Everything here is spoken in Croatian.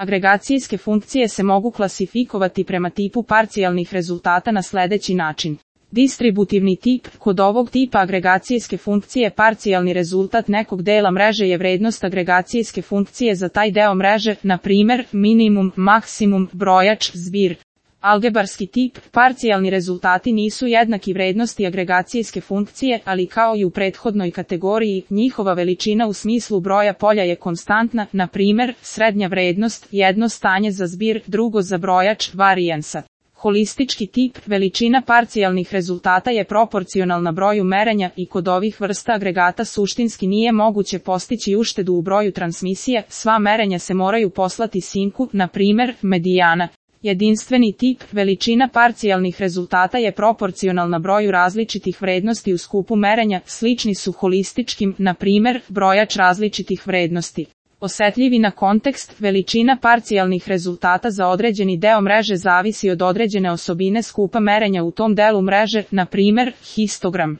Agregacijske funkcije se mogu klasifikovati prema tipu parcijalnih rezultata na sljedeći način. Distributivni tip. Kod ovog tipa agregacijske funkcije parcijalni rezultat nekog dela mreže je vrednost agregacijske funkcije za taj deo mreže, na primjer, minimum, maksimum, brojač, zbir. Algebarski tip. Parcijalni rezultati nisu jednaki vrednosti agregacijske funkcije, ali kao i u prethodnoj kategoriji, njihova veličina u smislu broja polja je konstantna, na primjer, srednja vrednost, jedno stanje za zbir, drugo za brojač, varijansa. Holistički tip. Veličina parcijalnih rezultata je proporcionalna broju merenja i kod ovih vrsta agregata suštinski nije moguće postići uštedu u broju transmisije, sva merenja se moraju poslati sinku, na primjer, medijana. Jedinstveni tip. Veličina parcijalnih rezultata je proporcionalna broju različitih vrednosti u skupu merenja, slični su holističkim, na primjer, brojač različitih vrednosti. Osjetljivi na kontekst. Veličina parcijalnih rezultata za određeni deo mreže zavisi od određene osobine skupa merenja u tom delu mreže, na primjer, histogram.